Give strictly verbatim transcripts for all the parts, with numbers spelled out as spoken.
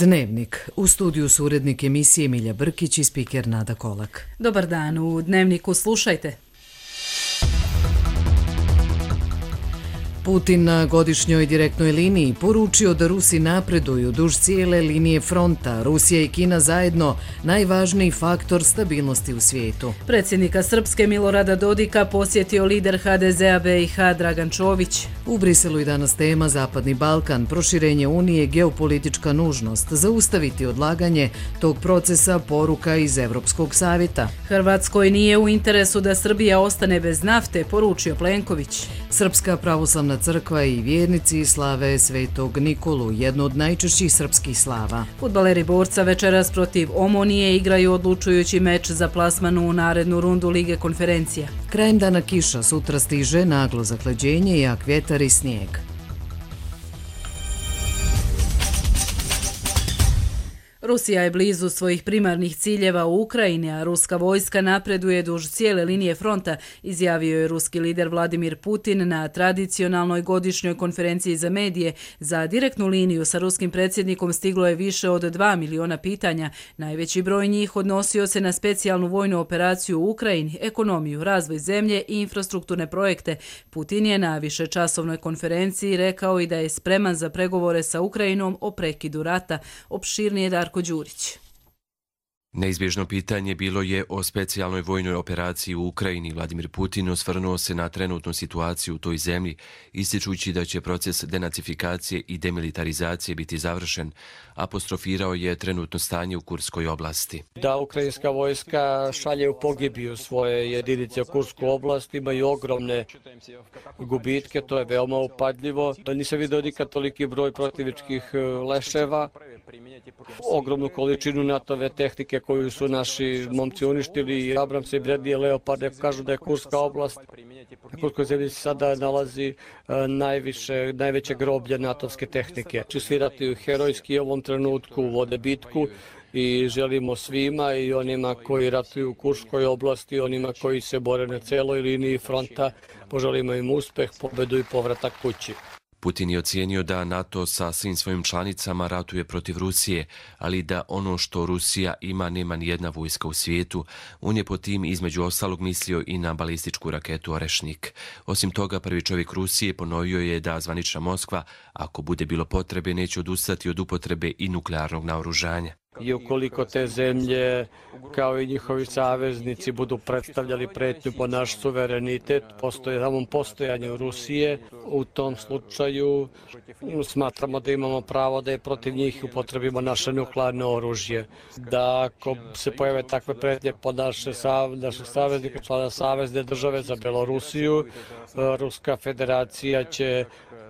Dnevnik. U studiju su urednik emisije Milja Brkić i spiker Nada Kolak. Dobar dan, u Dnevniku slušajte. Putin na godišnjoj direktnoj liniji poručio da Rusi napreduju duž cijele linije fronta. Rusija i Kina zajedno najvažniji faktor stabilnosti u svijetu. Predsjednika Srpske Milorada Dodika posjetio lider ha de zea be i ha Dragan Čović. U Briselu i danas tema Zapadni Balkan, proširenje Unije, geopolitička nužnost, zaustaviti odlaganje tog procesa, poruka iz Evropskog savjeta. Hrvatskoj nije u interesu da Srbija ostane bez nafte, poručio Plenković. Srpska pravoslavna crkva i vjernici slave Svetog Nikolu, jednu od najčešćih srpskih slava. Fudbaleri Borca večeras protiv Omonije igraju odlučujući meč za plasman u narednu rundu Lige konferencija. Krajem dana kiša, sutra stiže naglo zahlađenje, jak vjetar i snijeg. Rusija je blizu svojih primarnih ciljeva u Ukrajini, a ruska vojska napreduje duž cijele linije fronta, izjavio je ruski lider Vladimir Putin na tradicionalnoj godišnjoj konferenciji za medije. Za direktnu liniju sa ruskim predsjednikom stiglo je više od dva miliona pitanja. Najveći broj njih odnosio se na specijalnu vojnu operaciju u Ukrajini, ekonomiju, razvoj zemlje i infrastrukturne projekte. Putin je na višečasovnoj konferenciji rekao i da je spreman za pregovore sa Ukrajinom o prekidu rata. Opširnije Darko Đurić. Neizbježno pitanje bilo je o specijalnoj vojnoj operaciji u Ukrajini. Vladimir Putin osvrnuo se na trenutnu situaciju u toj zemlji, ističući da će proces denacifikacije i demilitarizacije biti završen. Apostrofirao je trenutno stanje u Kurskoj oblasti. Da ukrajinska vojska šalje u pogibiju svoje jedinice u Kursku oblast, imaju ogromne gubitke, to je veoma upadljivo. Nisam vidio nikad toliki broj protivničkih leševa, ogromnu količinu NATO-ve tehnike koju su naši momci uništili, Abramse i Bredlije Leoparde, kažu da je Kurska oblast, na Kurskoj zemlji se sada nalazi najviše, najveće groblje natovske tehnike. Će svirati herojski u ovom trenutku, vode bitku i želimo svima i onima koji ratuju u Kurskoj oblasti, i onima koji se bore na celoj liniji fronta, poželimo im uspeh, pobedu i povratak kući. Putin je ocijenio da NATO sa svim svojim članicama ratuje protiv Rusije, ali da ono što Rusija ima nema nijedna vojska u svijetu. On je po tim između ostalog mislio i na balističku raketu Orešnik. Osim toga, prvi čovjek Rusije ponovio je da zvanična Moskva, ako bude bilo potrebe, neće odustati od upotrebe i nuklearnog naoružanja. I ukoliko te zemlje, kao i njihovi saveznici, budu predstavljali pretnju po naš suverenitet, postoje samom postojanju Rusije, u tom slučaju smatramo da imamo pravo da je protiv njih upotrebimo naše nuklearno oružje. Da ako se pojave takve pretnje po naše, naše saveznike, člana savezne države za Belorusiju, Ruska federacija će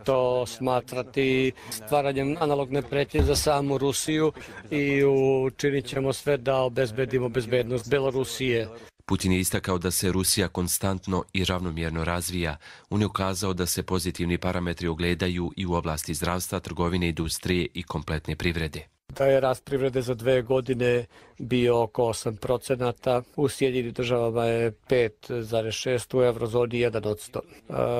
to smatrati stvaranjem analogne pretnje za samu Rusiju i učinit ćemo sve da obezbedimo bezbednost Belorusije. Putin je istakao da se Rusija konstantno i ravnomjerno razvija. On je ukazao da se pozitivni parametri ogledaju i u oblasti zdravstva, trgovine, industrije i kompletne privrede. Da je rast privrede za dve godine bio oko osam procenata, u Sjedinjenim državama je pet zarez šest, u eurozoni jedan posto.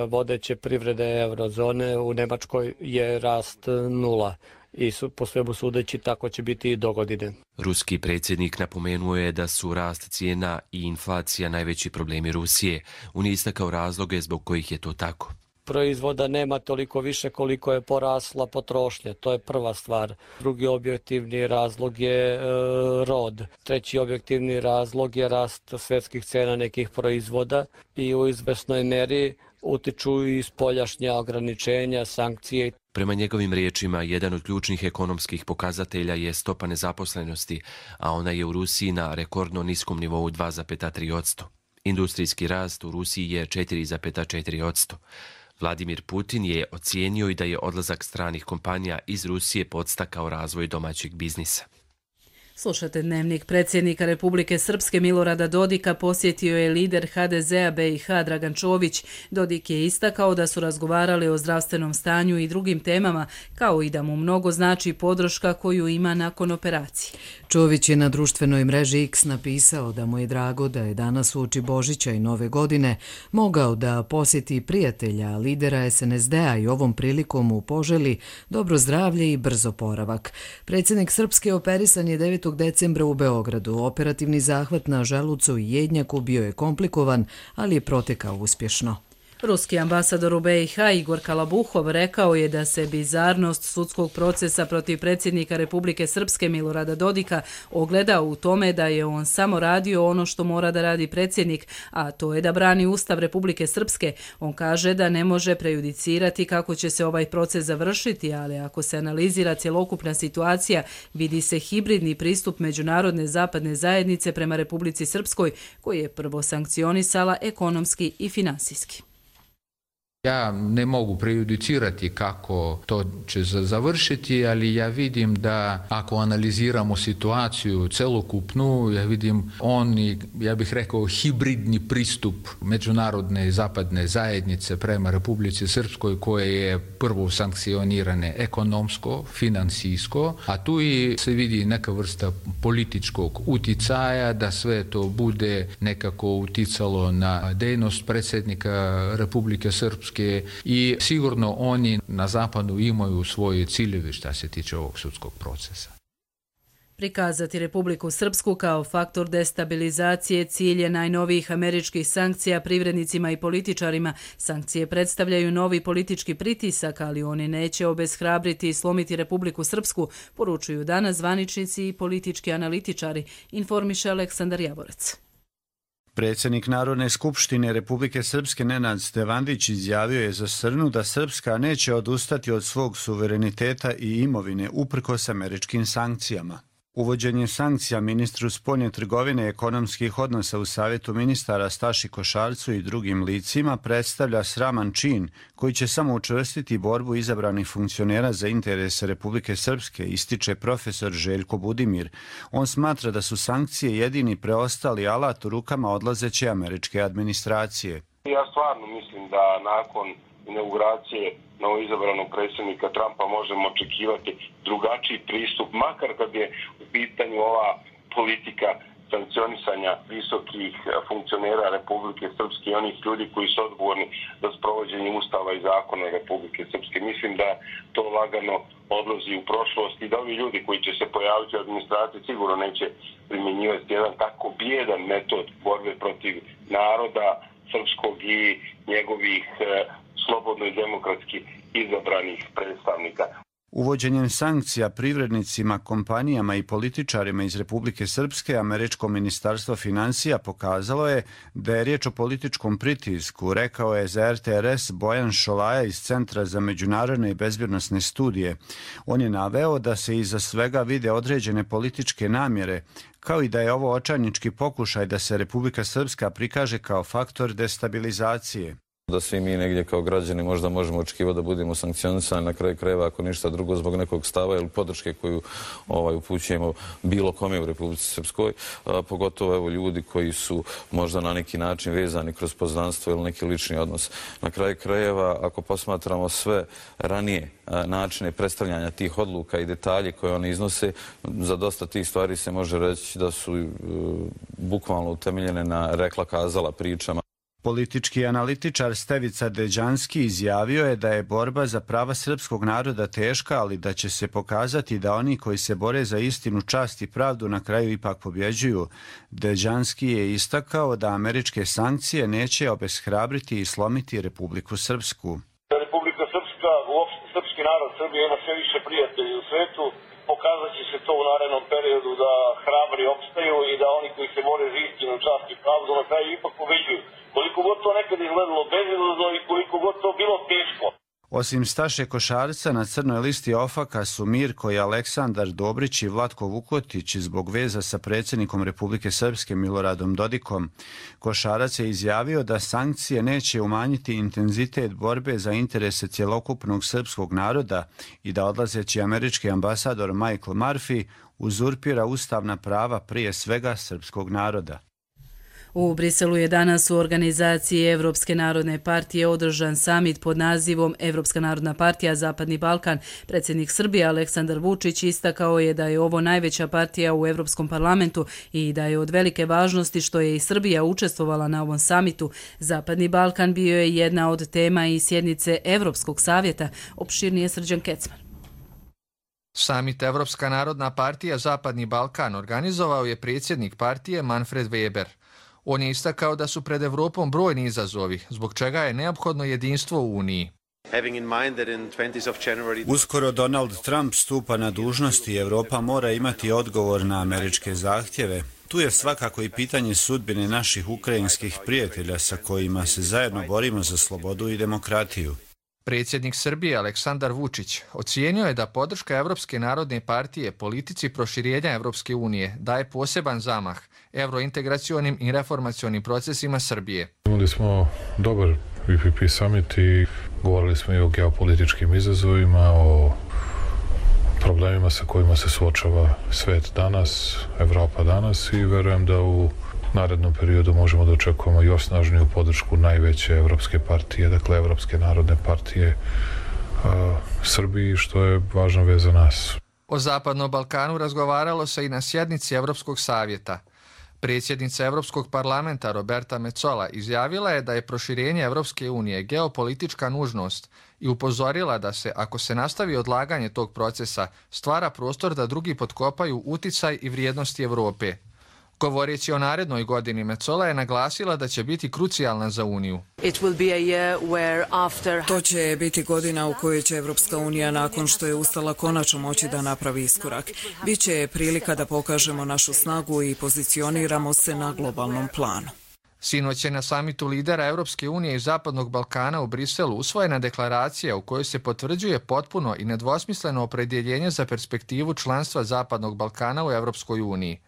Vodeće privrede eurozone u Nemačkoj je rast nula. I su, po svemu sudeći, tako će biti i do godine. Ruski predsjednik napomenuo je da su rast cijena i inflacija najveći problemi Rusije. On je istakao razloge zbog kojih je to tako. Proizvoda nema toliko više koliko je porasla potrošnja, to je prva stvar. Drugi objektivni razlog je e, rod. Treći objektivni razlog je rast svjetskih cena nekih proizvoda i u izvesnoj meri utiču i spoljašnja ograničenja, sankcije. Prema njegovim riječima, jedan od ključnih ekonomskih pokazatelja je stopa nezaposlenosti, a ona je u Rusiji na rekordno niskom nivou dva zarez tri posto. Industrijski rast u Rusiji je četiri zarez četiri posto. Vladimir Putin je ocijenio i da je odlazak stranih kompanija iz Rusije podstakao razvoj domaćeg biznisa. Slušate Dnevnik. Predsjednika Republike Srpske Milorada Dodika posjetio je lider ha de zea be i ha Dragan Čović. Dodik je istakao da su razgovarali o zdravstvenom stanju i drugim temama, kao i da mu mnogo znači podrška koju ima nakon operacije. Čović je na društvenoj mreži X napisao da mu je drago da je danas uoči Božića i Nove godine mogao da posjeti prijatelja, lidera es en es de a i ovom prilikom mu poželi dobro zdravlje i brz oporavak. Predsjednik Srpske operisan je devetog decembra u Beogradu. Operativni zahvat na želucu i jednjaku bio je komplikovan, ali je protekao uspješno. Ruski ambasador u be i ha Igor Kalabuhov rekao je da se bizarnost sudskog procesa protiv predsjednika Republike Srpske Milorada Dodika ogleda u tome da je on samo radio ono što mora da radi predsjednik, a to je da brani Ustav Republike Srpske. On kaže da ne može prejudicirati kako će se ovaj proces završiti, ali ako se analizira cjelokupna situacija, vidi se hibridni pristup međunarodne zapadne zajednice prema Republici Srpskoj, koji je prvo sankcionisala ekonomski i finansijski. Ja ne mogu prejudicirati kako to će završiti, ali ja vidim da ako analiziramo situaciju celokupnu, ja vidim on i, ja bih rekao, hibridni pristup međunarodne zapadne zajednice prema Republici Srpskoj, koje je prvo sankcionirane ekonomsko, finansijsko, a tu i se vidi neka vrsta političkog uticaja, da sve to bude nekako uticalo na dejnost predsjednika Republike Srpske i sigurno oni na zapadu imaju svoje ciljeve što se tiče ovog sudskog procesa. Prikazati Republiku Srpsku kao faktor destabilizacije cilj je najnovijih američkih sankcija privrednicima i političarima. Sankcije predstavljaju novi politički pritisak, ali oni neće obeshrabriti i slomiti Republiku Srpsku, poručuju danas zvaničnici i politički analitičari, informiše Aleksandar Javorec. Predsjednik Narodne skupštine Republike Srpske Nenad Stevandić izjavio je za Srnu da Srpska neće odustati od svog suvereniteta i imovine uprkos američkim sankcijama. Uvođenje sankcija ministru spoljne trgovine i ekonomskih odnosa u Savjetu ministara Staši Košarcu i drugim licima predstavlja sraman čin koji će samo učvrstiti borbu izabranih funkcionera za interese Republike Srpske, ističe profesor Željko Budimir. On smatra da su sankcije jedini preostali alat u rukama odlazeće američke administracije. Ja stvarno mislim da nakon inauguracije novoizabranog predsjednika Trumpa možemo očekivati drugačiji pristup, makar kad je u pitanju ova politika sankcionisanja visokih funkcionera Republike Srpske i onih ljudi koji su odgovorni za sprovođenje Ustava i zakona Republike Srpske. Mislim da to lagano odlazi u prošlost i da ovi ljudi koji će se pojaviti u administraciji sigurno neće primjenjivati jedan tako bijedan metod borbe protiv naroda srpskog i njegovih slobodno i demokratski izabranih predstavnika. Uvođenjem sankcija privrednicima, kompanijama i političarima iz Republike Srpske, američko ministarstvo financija pokazalo je da je riječ o političkom pritisku, rekao je za er te er es Bojan Šolaja iz Centra za međunarodne i bezbjednosne studije. On je naveo da se iza svega vide određene političke namjere, kao i da je ovo očajnički pokušaj da se Republika Srpska prikaže kao faktor destabilizacije. Da svi mi negdje kao građani možda možemo očekivati da budemo sankcionisani na kraju krajeva ako ništa drugo zbog nekog stava ili podrške koju ovaj, upućujemo bilo kome u Republici Srpskoj, a, pogotovo evo, ljudi koji su možda na neki način vezani kroz poznanstvo ili neki lični odnos. Na kraju krajeva, ako posmatramo sve ranije a, načine predstavljanja tih odluka i detalje koje one iznose, za dosta tih stvari se može reći da su e, bukvalno utemeljene na rekla-kazala pričama. Politički analitičar Stevica Deđanski izjavio je da je borba za prava srpskog naroda teška, ali da će se pokazati da oni koji se bore za istinu, čast i pravdu na kraju ipak pobjeđuju. Deđanski je istakao da američke sankcije neće obeshrabriti i slomiti Republiku Srpsku. Republika Srpska, uopšte srpski narod Srbije ima sve više prijatelji u svetu. Pokazat će se to u narednom periodu da hrabri opstaju i da oni koji se bore za istinu, čast i pravdu na kraju ipak pobjeđuju. Koliko god to nekad izgledalo bezizlazno i koliko god to bilo teško. Osim Staše Košarca, na crnoj listi ofaka su Mirko i Aleksandar Dobrić i Vlatko Vukotić zbog veza sa predsjednikom Republike Srpske Miloradom Dodikom. Košarac je izjavio da sankcije neće umanjiti intenzitet borbe za interese cjelokupnog srpskog naroda i da odlazeći američki ambasador Michael Murphy uzurpira ustavna prava prije svega srpskog naroda. U Briselu je danas u organizaciji Evropske narodne partije održan samit pod nazivom Evropska narodna partija Zapadni Balkan. Predsjednik Srbije Aleksandar Vučić istakao je da je ovo najveća partija u Evropskom parlamentu i da je od velike važnosti što je i Srbija učestvovala na ovom samitu. Zapadni Balkan bio je jedna od tema i sjednice Evropskog savjeta. Opširnije Srđan Kecman. Samit Evropska narodna partija Zapadni Balkan organizovao je predsjednik partije Manfred Weber. On je istakao da su pred Evropom brojni izazovi, zbog čega je neophodno jedinstvo u Uniji. Uskoro Donald Trump stupa na dužnost i Evropa mora imati odgovor na američke zahtjeve. Tu je svakako i pitanje sudbine naših ukrajinskih prijatelja sa kojima se zajedno borimo za slobodu i demokratiju. Predsjednik Srbije Aleksandar Vučić ocijenio je da podrška Evropske narodne partije politici proširenja Evropske unije daje poseban zamah evrointegracionim i reformacionim procesima Srbije. Imali smo dobar V P P summit i govorili smo i o geopolitičkim izazovima, o problemima sa kojima se suočava svet danas, Evropa danas i verujem da u narednom periodu možemo da očekujemo još snažniju podršku najveće evropske partije, dakle Evropske narodne partije a, Srbiji, što je važna vez za nas. O Zapadnom Balkanu razgovaralo se i na sjednici Evropskog savjeta. Predsjednica Evropskog parlamenta Roberta Metsola izjavila je da je proširenje Evropske unije geopolitička nužnost i upozorila da se, ako se nastavi odlaganje tog procesa, stvara prostor da drugi potkopaju uticaj i vrijednosti Evrope. Govoreći o narednoj godini, Metsola je naglasila da će biti krucijalna za Uniju. To će biti godina u kojoj će Evropska unija nakon što je ustala konačno moći da napravi iskorak. Biće prilika da pokažemo našu snagu i pozicioniramo se na globalnom planu. Sinoć je na samitu lidera Evropske unije i Zapadnog Balkana u Briselu usvojena deklaracija u kojoj se potvrđuje potpuno i nedvosmisleno opredjeljenje za perspektivu članstva Zapadnog Balkana u Evropskoj uniji.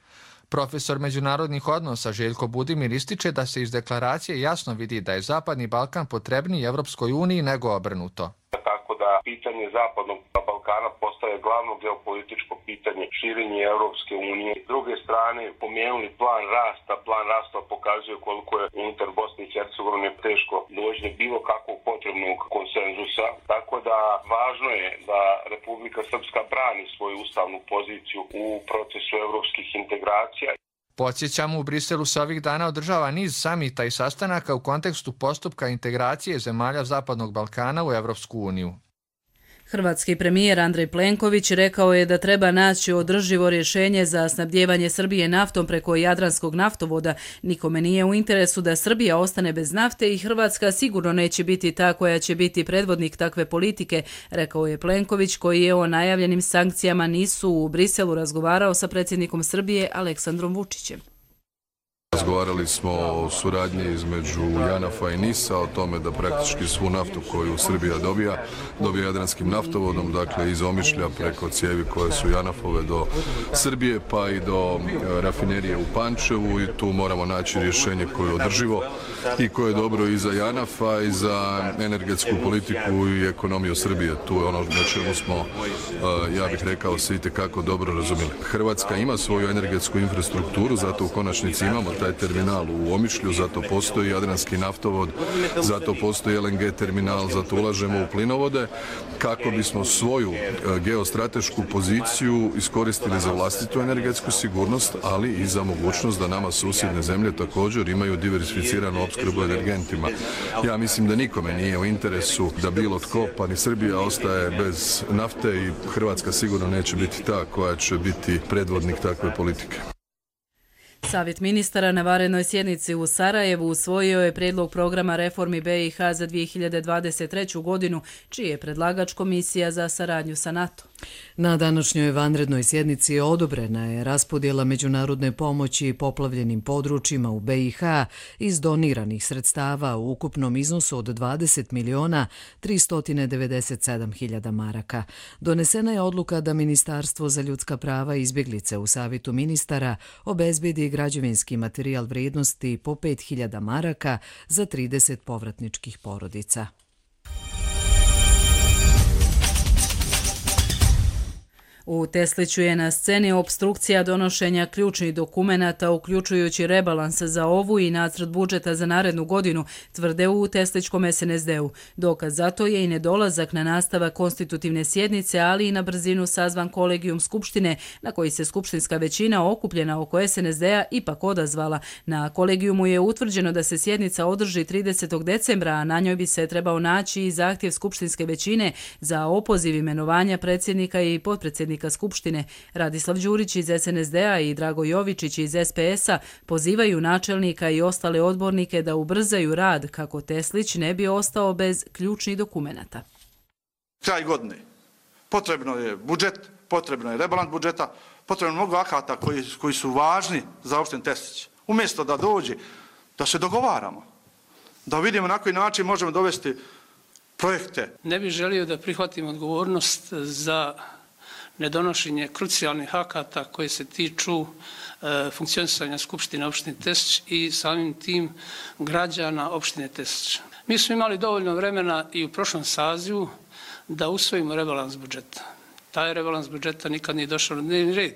Profesor međunarodnih odnosa Željko Budimir ističe da se iz deklaracije jasno vidi da je Zapadni Balkan potrebniji Evropskoj uniji nego obrnuto. Tako da pitanje Zapadnog Balkana postaje glavno geopolitičko pitanje širenje Evropske unije. S druge strane, pomenuli plan rasta, plan rasta pokazuje koliko je unutar Bosne i Hercegovine teško doći do bilo kakvog potrebnog konsenzusa. Tako da važno je da Republika Srpska brani svoju ustavnu poziciju u procesu evropskih integracija. Podsjećamo, u Briselu se ovih dana održava niz samita i sastanaka u kontekstu postupka integracije zemalja Zapadnog Balkana u Evropsku uniju. Hrvatski premijer Andrej Plenković rekao je da treba naći održivo rješenje za snabdijevanje Srbije naftom preko Jadranskog naftovoda. Nikome nije u interesu da Srbija ostane bez nafte i Hrvatska sigurno neće biti ta koja će biti predvodnik takve politike, rekao je Plenković, koji je o najavljenim sankcijama nisu u Briselu razgovarao sa predsjednikom Srbije Aleksandrom Vučićem. Razgovarali smo o suradnji između Janafa i Nisa, o tome da praktički svu naftu koju Srbija dobija, dobija Jadranskim naftovodom, dakle iz Omišlja preko cijevi koje su Janafove do Srbije pa i do rafinerije u Pančevu i tu moramo naći rješenje koje je održivo i koje je dobro i za Janafa i za energetsku politiku i ekonomiju Srbije. Tu je ono na čemu smo, ja bih rekao, se itekako dobro razumjeli. Hrvatska ima svoju energetsku infrastrukturu, zato u konačnici imamo taj terminal u Omišlju, zato postoji Jadranski naftovod, zato postoji L N G terminal, zato ulažemo u plinovode kako bismo svoju geostratešku poziciju iskoristili za vlastitu energetsku sigurnost, ali i za mogućnost da nama susjedne zemlje također imaju diversificiranu opskrbu energentima. Ja mislim da nikome nije u interesu da bilo tko, pa ni Srbija, ostaje bez nafte i Hrvatska sigurno neće biti ta koja će biti predvodnik takve politike. Savjet ministara na varenoj sjednici u Sarajevu usvojio je prijedlog programa reformi B i H za dvije hiljade dvadeset treću godinu, čiji je predlagač Komisija za saradnju sa NATO. Na današnjoj vanrednoj sjednici odobrena je raspodjela međunarodne pomoći poplavljenim područjima u B i H iz doniranih sredstava u ukupnom iznosu od dvadeset miliona tristo devedeset sedam hiljada maraka. Donesena je odluka da Ministarstvo za ljudska prava i izbjeglice u Savjetu ministara obezbedi građevinski materijal vrijednosti po pet hiljada maraka za trideset povratničkih porodica. U Tesliću je na sceni opstrukcija donošenja ključnih dokumenata, uključujući rebalans za ovu i nacrt budžeta za narednu godinu, tvrde u Teslićkom es en es de u. Dokaz za to je i nedolazak na nastavak konstitutivne sjednice, ali i na brzinu sazvan kolegijum Skupštine, na koji se skupštinska većina okupljena oko es en es de a ipak odazvala. Na kolegijumu je utvrđeno da se sjednica održi tridesetog decembra, a na njoj bi se trebao naći i zahtjev skupštinske većine za opoziv imenovanja predsjednika i potpredsjednika Skupštine. Radislav Đurić iz es en es de a i Drago Jovičić iz es pe es a pozivaju načelnika i ostale odbornike da ubrzaju rad kako Teslić ne bi ostao bez ključnih dokumenata. Kraj godine. Potrebno je budžet, potrebno je rebalans budžeta, potrebno je mnogo akata koji, koji su važni za opštinu Teslić. Umjesto da dođe, da se dogovaramo, da vidimo na koji način možemo dovesti projekte. Ne bih želio da prihvatim odgovornost za nedonošenje krucijalnih akata koji se tiču e, funkcionisanja Skupštine opštine Teslić i samim tim građana opštine Teslić. Mi smo imali dovoljno vremena i u prošlom sazivu da usvojimo rebalans budžeta. Taj rebalans budžeta nikad nije došao na dnevni red.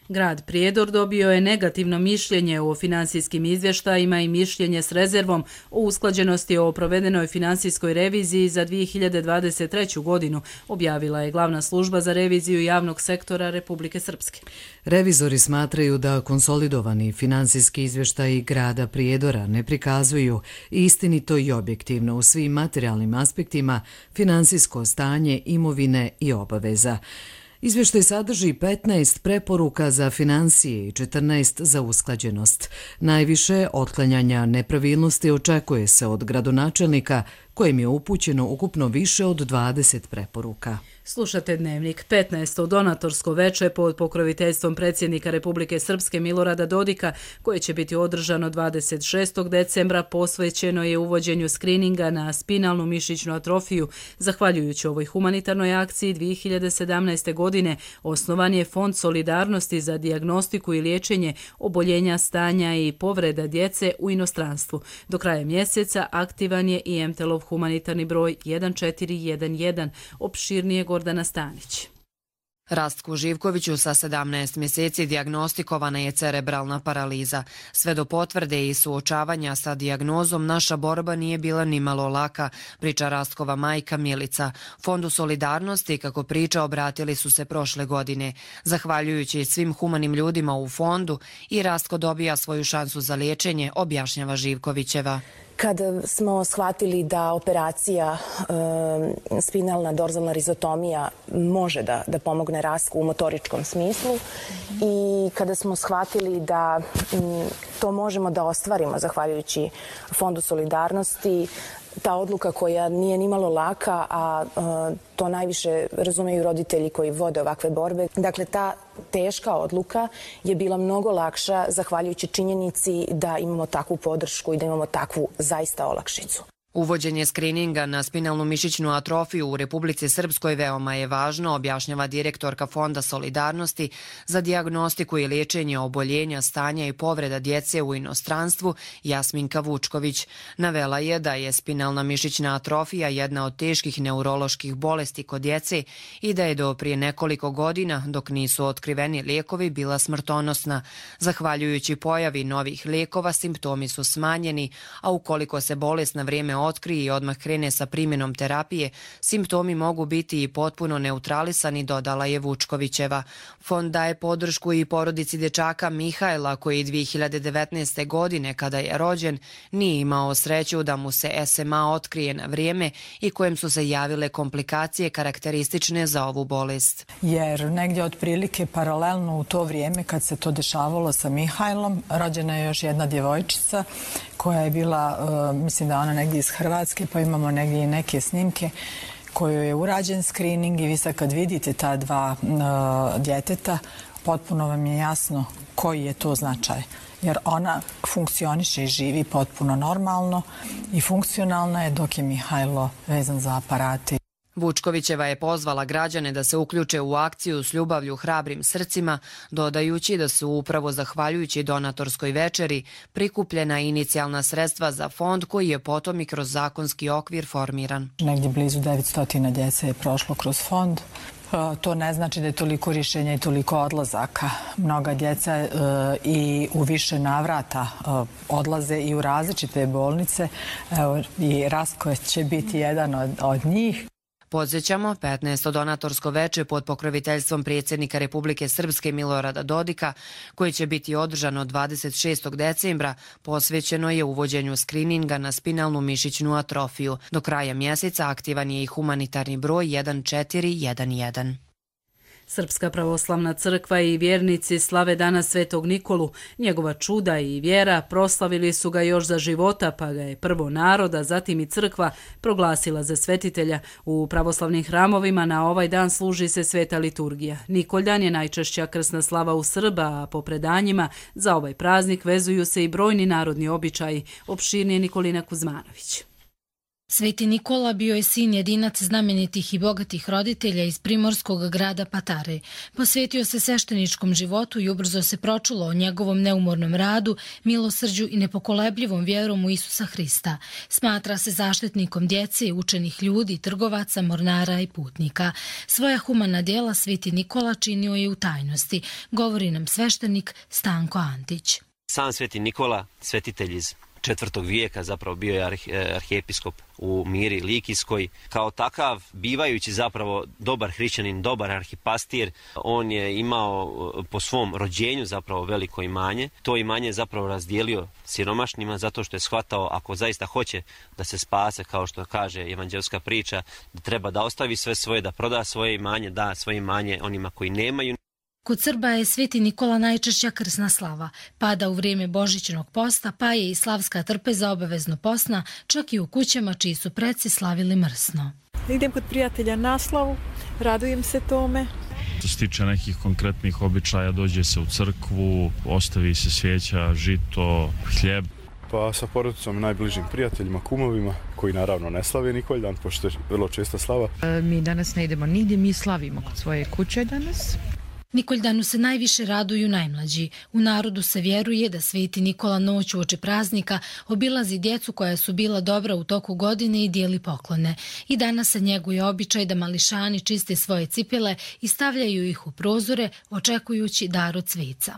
Grad Prijedor dobio je negativno mišljenje o finansijskim izvještajima i mišljenje s rezervom o usklađenosti o provedenoj finansijskoj reviziji za dvije hiljade dvadeset treću. godinu, objavila je glavna služba za reviziju javnog sektora Republike Srpske. Revizori smatraju da konsolidovani finansijski izvještaji grada Prijedora ne prikazuju istinito i objektivno u svim materijalnim aspektima finansijsko stanje imovine i obaveza. Izvještaj sadrži petnaest preporuka za finansije i četrnaest za usklađenost. Najviše otklanjanja nepravilnosti očekuje se od gradonačelnika, kojem je upućeno ukupno više od dvadeset preporuka. Slušate Dnevnik. petnaesto donatorsko veče pod pokroviteljstvom predsjednika Republike Srpske Milorada Dodika, koje će biti održano dvadeset šestog decembra, posvećeno je uvođenju skrininga na spinalnu mišićnu atrofiju. Zahvaljujući ovoj humanitarnoj akciji dvije hiljade sedamnaeste. godine osnovan je Fond solidarnosti za dijagnostiku i liječenje oboljenja, stanja i povreda djece u inostranstvu. Do kraja mjeseca aktivan je i em te el-ov humanitarni broj jedan četiri jedan jedan, opširnije Gordana Stanić. Rastku Živkoviću sa sedamnaest mjeseci dijagnostikovana je cerebralna paraliza. Sve do potvrde i suočavanja sa dijagnozom naša borba nije bila nimalo laka, priča Rastkova majka Milica. Fondu solidarnosti, kako priča, obratili su se prošle godine. Zahvaljujući svim humanim ljudima u fondu, i Rastko dobija svoju šansu za liječenje, objašnjava Živkovićeva. Kada smo shvatili da operacija e, spinalna dorzalna rizotomija može da, da pomogne Rastku u motoričkom smislu i kada smo shvatili da m, to možemo da ostvarimo zahvaljujući Fondu solidarnosti, ta odluka koja nije nimalo laka, a e, to najviše razumeju roditelji koji vode ovakve borbe. Dakle, ta teška odluka je bila mnogo lakša zahvaljujući činjenici da imamo takvu podršku i da imamo takvu zaista olakšicu. Uvođenje skrininga na spinalnu mišićnu atrofiju u Republici Srpskoj veoma je važno, objašnjava direktorka Fonda solidarnosti za dijagnostiku i liječenje oboljenja, stanja i povreda djece u inostranstvu Jasminka Vučković. Navela je da je spinalna mišićna atrofija jedna od teških neuroloških bolesti kod djece i da je do prije nekoliko godina, dok nisu otkriveni lijekovi, bila smrtonosna. Zahvaljujući pojavi novih lijekova, simptomi su smanjeni, a ukoliko se bolest na vrijeme otkrije i odmah krene sa primjenom terapije, simptomi mogu biti i potpuno neutralisani, dodala je Vučkovićeva. Fond daje podršku i porodici dečaka Mihajla, koji dvije hiljade devetnaeste. godine, kada je rođen, nije imao sreću da mu se es em a otkrije na vrijeme i kojem su se javile komplikacije karakteristične za ovu bolest. Jer negdje otprilike paralelno u to vrijeme kad se to dešavalo sa Mihajlom, rođena je još jedna djevojčica koja je bila, uh, mislim da ona negdje iz Hrvatske, pa imamo negdje i neke snimke kojoj je urađen screening i vi sad kad vidite ta dva uh, djeteta, potpuno vam je jasno koji je to značaj. Jer ona funkcioniše i živi potpuno normalno i funkcionalna je, dok je Mihajlo vezan za aparate. Vučkovićeva je pozvala građane da se uključe u akciju s ljubavlju hrabrim srcima, dodajući da su upravo zahvaljujući donatorskoj večeri prikupljena inicijalna sredstva za fond koji je potom i kroz zakonski okvir formiran. Negdje blizu devetsto djece je prošlo kroz fond To ne znači da je toliko rješenja i toliko odlazaka. Mnoga djeca i u više navrata odlaze i u različite bolnice. Evo, i Rastko će biti jedan od, od njih. Podsjećamo, petnaesto donatorsko veče pod pokroviteljstvom predsjednika Republike Srpske Milorada Dodika, koje će biti održano dvadeset šestog decembra, posvećeno je uvođenju skrininga na spinalnu mišićnu atrofiju. Do kraja mjeseca aktivan je i humanitarni broj jedan četiri jedan jedan. Srpska pravoslavna crkva i vjernici slave dana Svetog Nikolu. Njegova čuda i vjera proslavili su ga još za života, pa ga je prvo narod, a zatim i crkva proglasila za svetitelja. U pravoslavnim hramovima na ovaj dan služi se sveta liturgija. Nikoljan je najčešća krsna slava u Srba, a po predanjima za ovaj praznik vezuju se i brojni narodni običaji. Opširnije Nikolina Kuzmanović. Sveti Nikola bio je sin jedinac znamenitih i bogatih roditelja iz primorskog grada Patare. Posvetio se svešteničkom životu i ubrzo se pročulo o njegovom neumornom radu, milosrđu i nepokolebljivom vjerom u Isusa Hrista. Smatra se zaštitnikom djece, učenih ljudi, trgovaca, mornara i putnika. Svoja humana djela Sveti Nikola činio je u tajnosti, govori nam sveštenik Stanko Antić. Sam Sveti Nikola, svetitelj iz četvrtog vijeka, zapravo bio je arhijepiskop u Miri Likijskoj. Kao takav, bivajući zapravo dobar hrišćanin, dobar arhipastir, on je imao po svom rođenju zapravo veliko imanje. To imanje je zapravo razdijelio siromašnima zato što je shvatao, ako zaista hoće da se spase, kao što kaže evanđelska priča, da treba da ostavi sve svoje, da proda svoje imanje, da svoje imanje onima koji nemaju. Kod Srba je Sveti Nikola najčešća krsna slava. Pada u vrijeme božićnog posta, pa je i slavska trpeza obavezno posna, čak i u kućama čiji su preci slavili mrsno. Idem kod prijatelja na slavu, radujem se tome. Što se tiče nekih konkretnih običaja, dođe se u crkvu, ostavi se svijeća, žito, hljeb. Pa sa porodicom i najbližim prijateljima, kumovima, koji naravno ne slave Nikoljan, pošto je vrlo česta slava. E, mi danas ne idemo nigdje, mi slavimo kod svoje kuće danas. Nikoldanu se najviše raduju najmlađi. U narodu se vjeruje da Sveti Nikola noć uoči praznika obilazi djecu koja su bila dobra u toku godine i dijeli poklone. I danas se njeguje običaj da mališani čiste svoje cipele i stavljaju ih u prozore očekujući dar od sveca.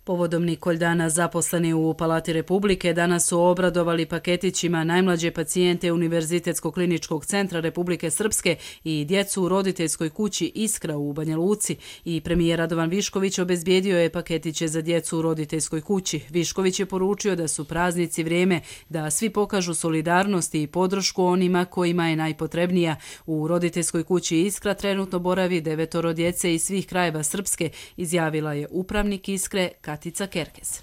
Povodom Nikoldana zaposleni u Palati Republike danas su obradovali paketićima najmlađe pacijente Univerzitetskog kliničkog centra Republike Srpske i djecu u roditeljskoj kući Iskra u Banja Luci. I premijer Radovan Višković obezbijedio je paketiće za djecu u roditeljskoj kući. Višković je poručio da su praznici vrijeme da svi pokažu solidarnost i podršku onima kojima je najpotrebnija. U roditeljskoj kući Iskra trenutno boravi devetoro djece iz svih krajeva Srpske, izjavila je upravnik Iskre Katica Kerkez.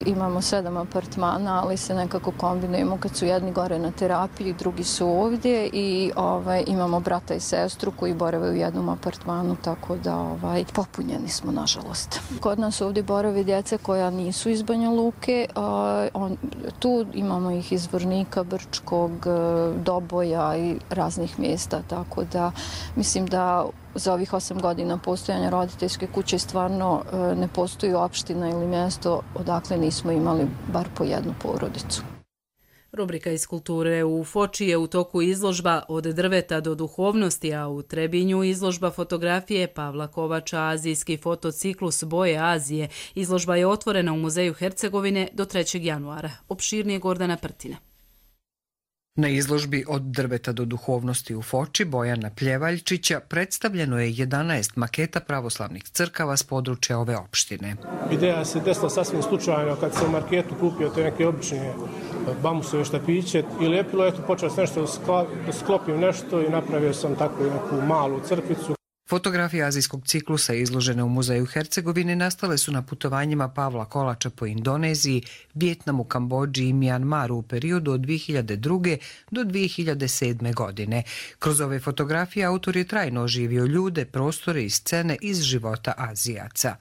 Imamo sedam apartmana, ali se nekako kombinujemo kad su jedni gore na terapiji, drugi su ovdje i ovaj, imamo brata i sestru koji borave u jednom apartmanu, tako da ovaj, popunjeni smo, nažalost. Kod nas ovdje borave djece koja nisu iz Banja Luke, a, on, tu imamo ih iz Vornika, Brčkog, Doboja i raznih mjesta, tako da mislim da za ovih osam godina postojanja roditeljske kuće stvarno ne postoji opština ili mjesto odakle nismo imali bar po jednu porodicu. Rubrika iz kulture. U Foči je u toku izložba Od drveta do duhovnosti, a u Trebinju izložba fotografije Pavla Kovača, azijski fotociklus Boje Azije. Izložba je otvorena u Muzeju Hercegovine do trećeg januara. Opširnije Gordana Prtina. Na izložbi Od drveta do duhovnosti u Foči Bojana Pljevaljčića predstavljeno je jedanaest maketa pravoslavnih crkava s područja ove opštine. Ideja se desila sasvim slučajno kad sam u marketu kupio te neke obične bambusove štapiće i lijepilo, eto počeo sam nešto da sklopim nešto i napravio sam takvu neku malu crkvicu. Fotografije azijskog ciklusa izložene u Muzeju Hercegovine nastale su na putovanjima Pavla Kolača po Indoneziji, Vijetnamu, Kambodži i Mijanmaru u periodu od dvije hiljade druge. do dvije hiljade sedme. godine. Kroz ove fotografije autor je trajno oživio ljude, prostore i scene iz života Azijaca.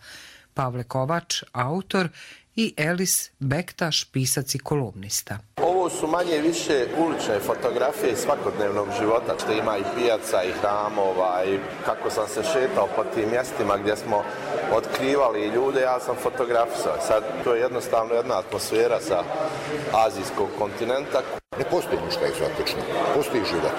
Pavle Kovač, autor, i Elis Bektaš, pisac i kolumnista. Ovo su manje više ulične fotografije svakodnevnog života, što ima i pijaca i hramova i kako sam se šetao po tim mjestima gdje smo otkrivali ljude, ja sam fotografisao. Sad to je jednostavno jedna atmosfera sa azijskog kontinenta. Ne postoji ništa egzotično, postoji život.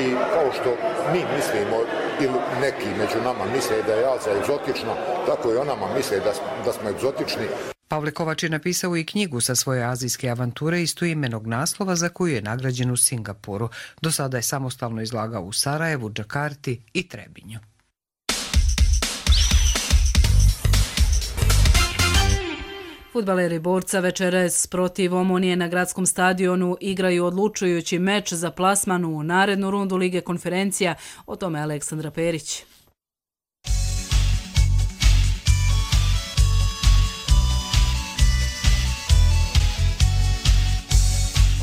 I kao što mi mislimo ili neki među nama misle da je Alza egzotična, tako i o nama misle da, da smo egzotični. Pavle Kovač je napisao i knjigu sa svoje azijske avanture istoimenog naslova za koju je nagrađen u Singapuru. Do sada je samostalno izlagao u Sarajevu, Džakarti i Trebinju. Fudbaleri Borca večeras protiv Omonije na gradskom stadionu igraju odlučujući meč za plasman u narednu rundu Lige konferencija. O tome Aleksandra Perić.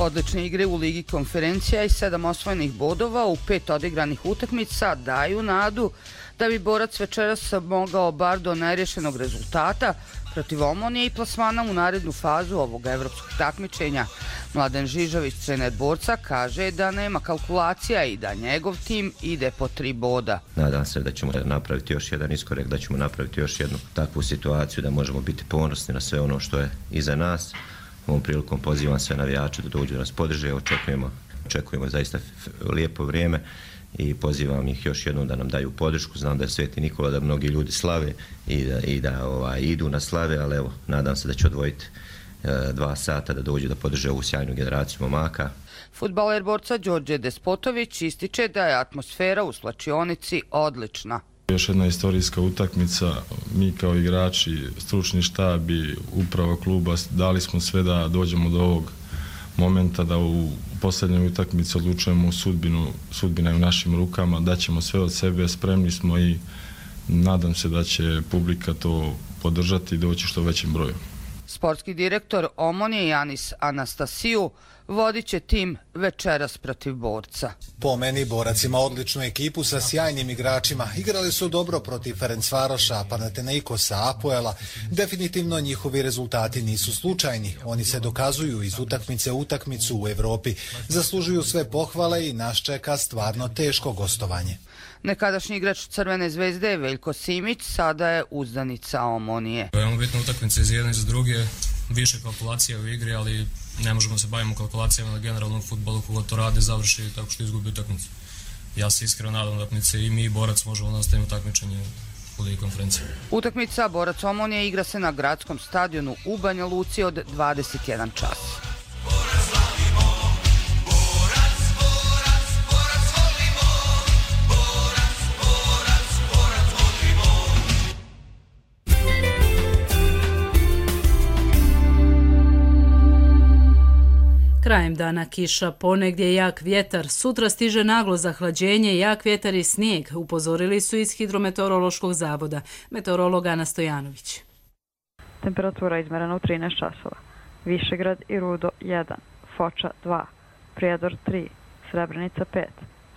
Odlične igre u Ligi konferencija i sedam osvojenih bodova u pet odigranih utakmica daju nadu da bi Borac večeras mogao bar do nerješenog rezultata protiv Omonije i plasmana u narednu fazu ovog evropskog takmičenja. Mladen Žižović, trener Borca, kaže da nema kalkulacija i da njegov tim ide po tri boda. Nadam se da ćemo napraviti još jedan iskorak, da ćemo napraviti još jednu takvu situaciju da možemo biti ponosni na sve ono što je iza nas. Ovom prilikom pozivam sve navijače da dođu da nas podrže, očekujemo, očekujemo zaista lijepo vrijeme i pozivam ih još jednom da nam daju podršku. Znam da je Sveti Nikola, da mnogi ljudi slave i da, i da ovaj, idu na slave, ali evo, nadam se da će odvojiti e, dva sata da dođu da podrže ovu sjajnu generaciju momaka. Fudbaler Borca Đorđe Despotović ističe da je atmosfera u slačionici odlična. Još jedna istorijska utakmica, mi kao igrači, stručni štab i uprava kluba dali smo sve da dođemo do ovog momenta da u posljednjoj utakmici odlučujemo sudbinu, sudbina je u našim rukama, daćemo sve od sebe, spremni smo i nadam se da će publika to podržati i doći što većim broju. Sportski direktor Omonije Janis Anastasiju vodit će tim večeras protiv Borca. Po meni Borac ima odličnu ekipu sa sjajnim igračima. Igrali su dobro protiv Ferencvaroša, Panathinaikosa, Apoela. Definitivno njihovi rezultati nisu slučajni. Oni se dokazuju iz utakmice u utakmicu u Evropi. Zaslužuju sve pohvale i nas čeka stvarno teško gostovanje. Nekadašnji igrač Crvene zvezde Veljko Simić sada je uzdanica Omonije. Veoma bitna utakmica iz jedne i za druge, više kalkulacija u igri, ali ne možemo se bavimo kalkulacijama na generalnom fudbalu, koga to rade, završi tako što izgubi utakmicu. Ja se iskreno nadam da utakmice i mi i Borac možemo nastaviti takmičenje u Ligi konferencije. Utakmica Borac Omonije igra se na gradskom stadionu u Banja Luci od dvadeset jedan čas. Krajem dana kiša, ponegdje jak vjetar, sutra stiže naglo zahlađenje, jak vjetar i snijeg, upozorili su iz Hidrometeorološkog zavoda. Meteorolog Ana Stojanović. Temperatura izmerena u trinaest časova. Višegrad i Rudo jedan, Foča dva, Prijedor tri, Srebrenica pet,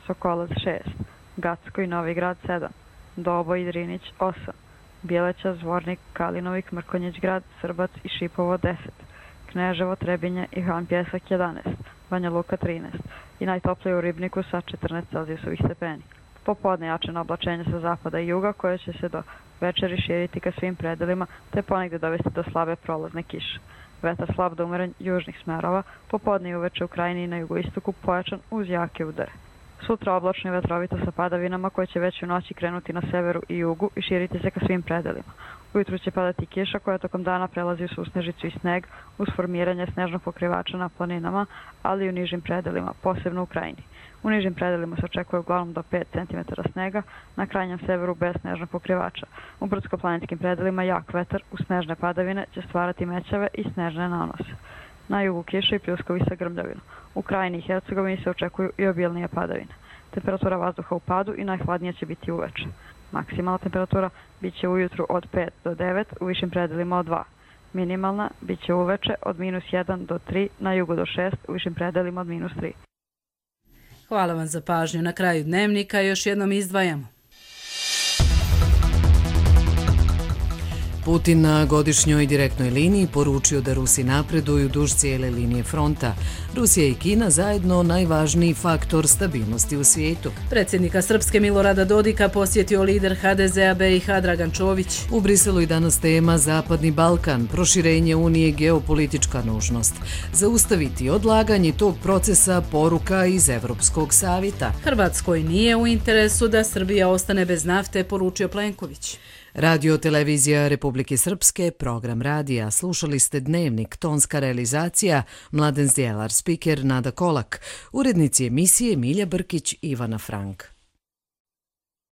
Sokolac šest, Gacko i Novi Grad sedam, Doboj i Drinić osam, Bjeleća, Zvornik, Kalinovik, Mrkonjić grad, Srbac i Šipovo deset, Kneževo, Trebinje i Han Pjesak jedanaest, Banja Luka trinaest i najtoplije u Ribniku sa četrnaest celzijusovih stepeni. Popodne jačeno oblačenje sa zapada i juga koje će se do večeri širiti ka svim predelima te ponegde dovesti do slabe prolazne kiše. Vetar slab do umeren južnih smerova, popodne i uveče u krajini i na jugoistoku pojačan uz jake udare. Sutra oblačno i vetrovito sa padavinama koje će već u noći krenuti na severu i jugu i širiti se ka svim predelima. Ujutru će padati kiša koja tokom dana prelazi u susnežicu i sneg uz formiranje snežnog pokrivača na planinama, ali i u nižim predelima, posebno u krajini. U nižim predelima se očekuje uglavnom do pet centimetara snega, na krajnjem severu bez snežnog pokrivača. U brdsko-planinskim predelima jak vetar uz snežne padavine će stvarati mećave i snežne nanose. Na jugu kiša i pljuskovi sa grmljavinom. U krajini i Hercegovini se očekuju i obilnije padavine. Temperatura vazduha u padu i najhladnija će biti uveče. Maksimalna temperatura bit će ujutru od pet do devet, u višim predelima od dva. Minimalna bit će uveče od minus jedan do tri, na jugu do šest, u višim predelima od minus tri. Hvala vam za pažnju. Na kraju dnevnika još jednom izdvajamo. Putin na godišnjoj direktnoj liniji poručio da Rusi napreduju duž cijele linije fronta. Rusija i Kina zajedno najvažniji faktor stabilnosti u svijetu. Predsjednika Srpske Milorada Dodika posjetio lider ha de zea be i ha Dragan Čović. U Briselu i danas tema Zapadni Balkan, proširenje Unije geopolitička nužnost. Zaustaviti odlaganje tog procesa poruka iz Evropskog savjeta. Hrvatskoj nije u interesu da Srbija ostane bez nafte, poručio Plenković. Radio televizija Republike Srpske, program radija. Slušali ste Dnevnik, tonska realizacija, Mladen Zdjelar, spiker Nada Kolak, urednici emisije Milja Brkić, Ivana Frank.